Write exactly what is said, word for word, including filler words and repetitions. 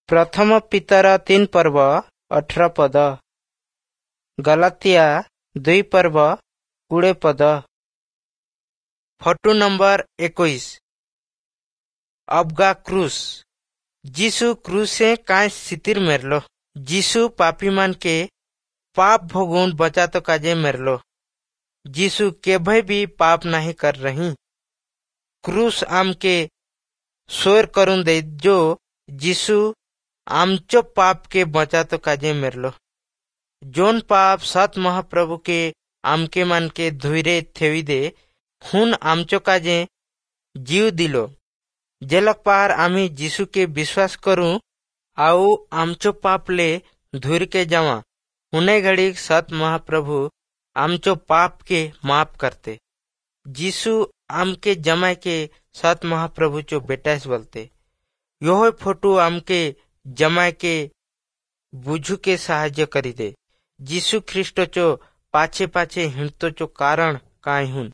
ପ୍ରଥମ ପିତର ତିନି ପର୍ବ ଅଠର ପଦ। ଗଲାତିଆ ଦୁଇ ପର୍ବ କୁଡ଼େ ପଦ। ଫଟୁ ନମ୍ବର ଏକୋଇଶ। ଅବଗା କ୍ରୁଶ। ଯୀଶୁ କ୍ରୁଶେ କାଏଁ ସିତିର मेरलो। ଯୀଶୁ ପାପୀ ମାନ के पाप भोगुन बचातो काजे मेरलो। यीशु केभे भी पाप नहीं कर रही। क्रूस आमके सोर करून दे जो यीशु आमचो पाप के बचातो काजे मेरलो। जोन पाप सत महाप्रभु के आमके मन के धुइरे थेवी दे हुन आमचो काजे जीव दिलो। जेलक पार आमी यीशु के विश्वास करू आउ आमचो पाप ले धुर के जावा हुने घड़ी सत महाप्रभु आमचो पाप के माफ करते। यीशु आमके जमाय के सत महाप्रभु चो बेटास बोलते। यो फोटो आमके जमाय के बुझू के साहाଯ୍य करी दे। यीशु ख्रिस्ट चो पाछे पाछे हिंडतो चो कारण काय हुन।